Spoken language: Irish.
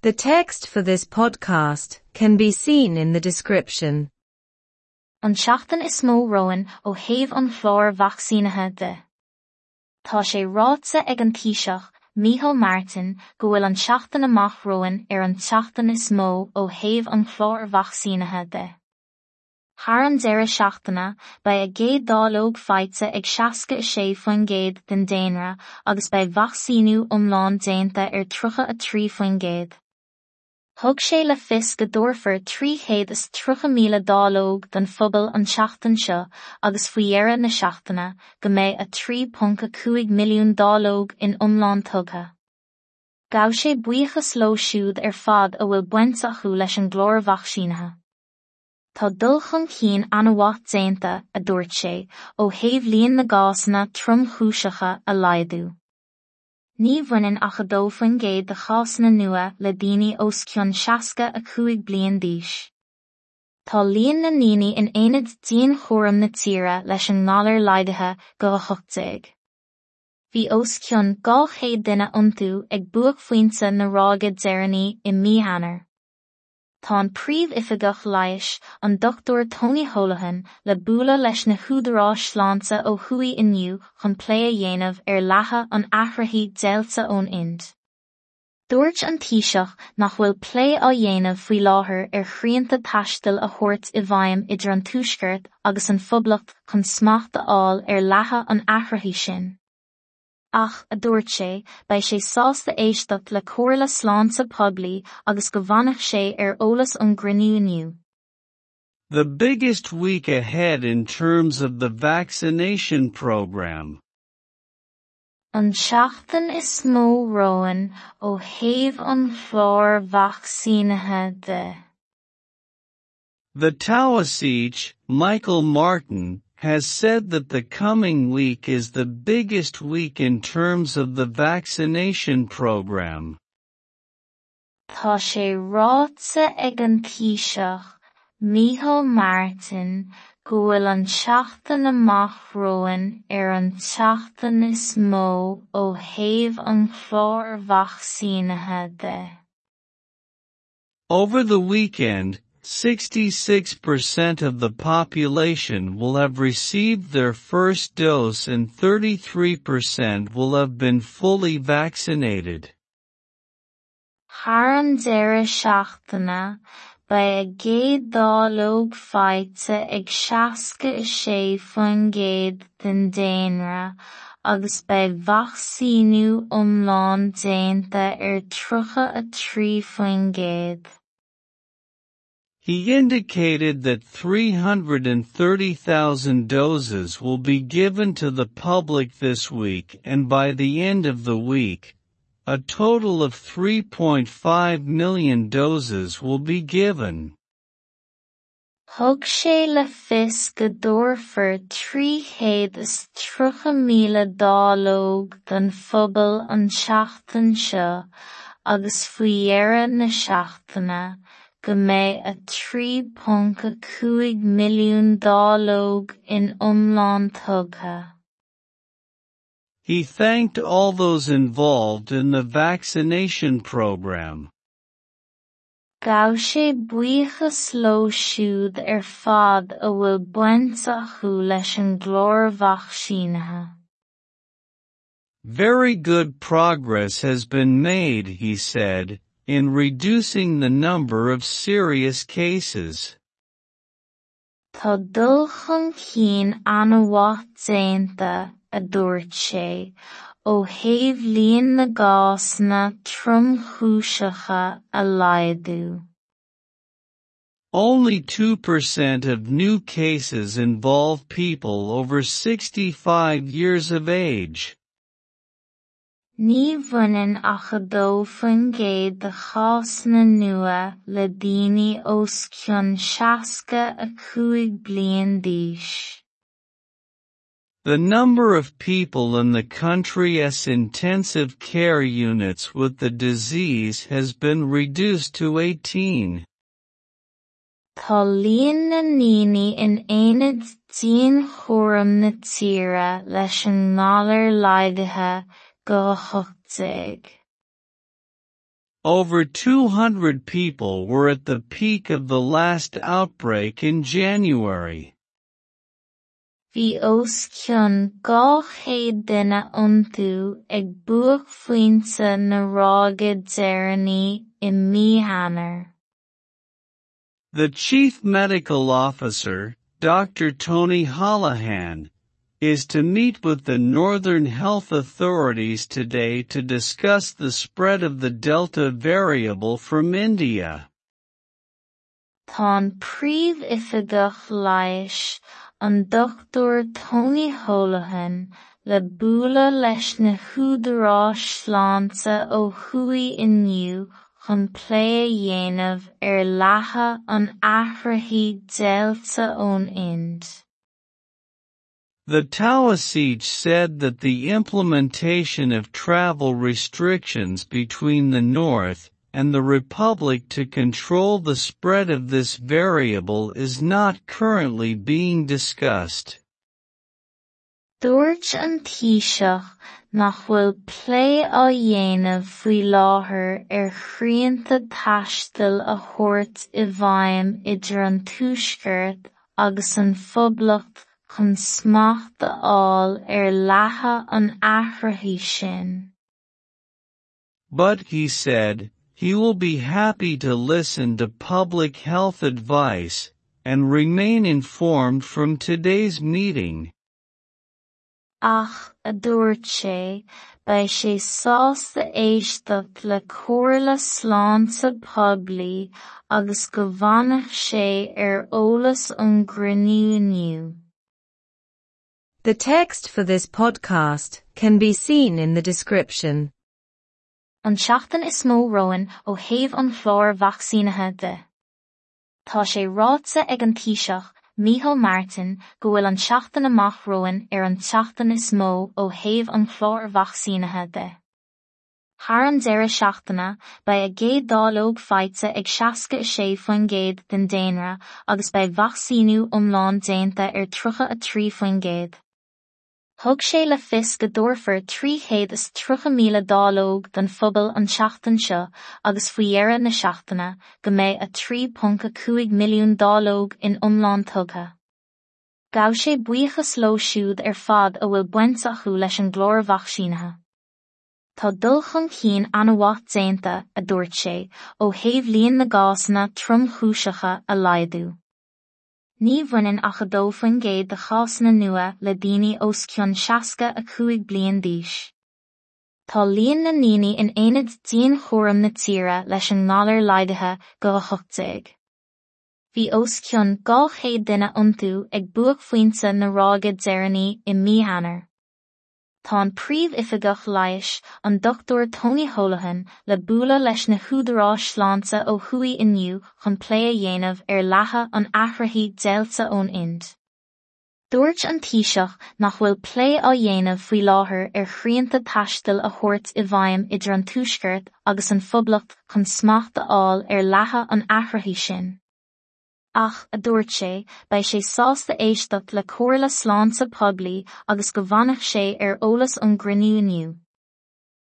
The text for this podcast can be seen in the description. An tseachtain is mó romhainn ó thaobh an chláir vacsaínithe de. Tá sé ráite ag an Taoiseach, Micheál Martin, go bhfuil an tseachtain amach romhainn ar an tseachtain is mó ó thaobh an chláir vacsaínithe de. Thar an deireadh seachtaine, beidh a gcéad dáileog faighte ag 66% den daonra agus beidh vacsaíniú iomlán déanta ar 33%. Thug sé le fios go dtabharfar 330,000 dáileog don phobal an tseachtain seo agus faoi dheireadh na seachtaine go mbeidh 3.5 milliún dáileog in iomlán tugtha. Ghabh sé buíochas leo siúd ar fad a bhfuil baint acu leis an gclár vacsaínithe. Tá dul chun cinn an-mhaith déanta, a dúirt sé, ó thaobh líon na gcásanna tromchúiseacha a laghdú. Ní bhaineann ach 2% de chásanna nua le daoine os cionn 65 bliain d'aois. Tá líon na ndaoine in aonaid dianchúraim na tíre leis an ngalar laghdaithe go 18. Bhí os cionn 200 duine iontu ag buaicphointe na ráige deireanaí i mí Eanáir. Tá an Príomhoifigeach Leighis, an Dochtúir Tony Holohan, le bualadh leis na húdaráis sláinte ó thuaidh inniu chun plé a dhéanamh ar leathadh an athraithigh Deiltea ón Ind. Dúirt an Taoiseach nach bhfuil plé á dhéanamh faoi láthair ar shrianta taistil a thabhairt i bhfeidhm idir an Tuaisceart agus an Phoblacht chun smacht a fháil ar leathadh an athraithigh sin. Ach, a dúirt sé, beidh sé sásta éisteacht le comhairle sláinte poiblí agus go bhfanfaidh sé ar eolas ón gcruinniú inniu. The biggest week ahead in terms of the vaccination program. An tseachtain is mó romhainn ó thaobh an chláir vacsaínithe de. The Taoiseach, Michael Martin, has said that the coming week is the biggest week in terms of the vaccination program. Tá sé ráite ag an Taoiseach, Micheál Martin, go bhfuil an tseachtain amach romhainn ar an tseachtain is mó ó thaobh an chláir vacsaínithe de. Over the weekend, 66% of the population will have received their first dose and 33% will have been fully vaccinated. Thar an deireadh seachtaine, beidh a gcéad dáileog faighte ag 66% den daonra agus beidh vacsaíniú iomlán déanta ar 33%. He indicated that 330,000 doses will be given to the public this week and by the end of the week, a total of 3.5 million doses will be given. Thug sé le fios go dtabharfar 330,000 dáileog don phobal an tseachtain seo agus faoi dheireadh na seachtaine, go mbeidh 3.5 milliún dáileog in iomlán tugtha. He thanked all those involved in the vaccination program. Ghabh sé buíochas leo siúd ar fad a bhfuil baint acu leis an gclár vacsaínithe. Very good progress has been made, he said, in reducing the number of serious cases. Tá dul chun cinn an-mhaith déanta, a dúirt sé, ó thaobh líon na gcásanna tromchúiseacha a laghdú. Only 2% of new cases involve people over 65 years of age. Ní bhaineann ach 2% de chásanna nua le daoine os cionn 65 bliain d'aois. The number of people in the country's intensive care units with the disease has been reduced to 18. Tá líon na ndaoine in aonaid dianchúraim na tíre leis an ngalar laghdaithe go 18. Over 200 people were at the peak of the last outbreak in January. Bhí os cionn 200 duine iontu ag buaicphointe na ráige deireanaí i mí Eanáir. The chief medical officer, Dr. Tony Holohan, is to meet with the northern health authorities today to discuss the spread of the Delta variable from India. Tá an príomhoifigeach leighis, an Dr Tony Holohan, le bualadh leis na húdaráis sláinte ó thuaidh inniu chun plé a dhéanamh ar leathadh an athraithe Deiltea ón Ind. The Taoiseach said that the implementation of travel restrictions between the North and the Republic to control the spread of this variable is not currently being discussed. Dúirt an Taoiseach nach bhfuil plé á dhéanamh faoi láthair ar shrianta taistil a thabhairt i bhfeidhm idir an Tuaisceart agus an Phoblacht chun smacht a fháil ar leathadh an athraithe sin. But, he said, he will be happy to listen to public health advice and remain informed from today's meeting. Ach, a dúirt sé, beidh sé sásta éisteacht le comhairle sláinte poiblí agus go bhfanfaidh sé ar eolas ón gcruinniú inniu. The text for this podcast can be seen in the description. An tseachtain is mó romhainn ó thaobh an chláir vacsaínithe de. Tá sé ráite ag an Taoiseach, Micheál Martin, go bhfuil an tseachtain amach romhainn ar an tseachtain is mó ó thaobh an chláir vacsaínithe de. Thar an deireadh seachtaine, beidh a gcéad dáileog faighte ag 66% den daonra agus beidh vacsaíniú iomlán déanta ar 33%. Thug sé le fios go dtabharfar 330,000 dáileog don phobal an tseachtain seo agus faoi dheireadh na seachtaine go mbeidh 3.5 milliún dáileog in iomlán tugtha. Ghabh sé buíochas leo siúd ar fad a bhfuil baint acu leis an gclár vacsaínithe. Tá dul chun cinn an-mhaith déanta, a dúirt sé, ó thaobh líon na gcásanna tromchúiseacha a laghdú. Ní bhaineann ach 2% de chásanna nua le daoine os cionn 65 bliain d'aois. Tá líon na ndaoine in aonaid dianchúraim na tíre leis an ngalar laghdaithe go 18. Bhí os cionn 200 duine iontu ag buaicphointe na ráige deireanaí i mí Eanáir. Tá an príomhoifigeach leighis, an Dr Tony Holohan, le bualadh leis na húdaráis sláinte ó thuaidh inniu chun plé a dhéanamh ar leathadh an athraithe Deiltea ón Ind. Dúirt an Taoiseach nach bhfuil plé á dhéanamh faoi láthair ar shrianta taistil a thabhairt i bhfeidhm idir an Tuaisceart agus an Phoblacht chun smacht a fháil ar leathadh an athraithe sin. Ach, a dúirt sé, beidh sé sásta éisteacht le comhairle sláinte poiblí agus go bhfanfaidh sé ar eolas ón gcruinniú inniu.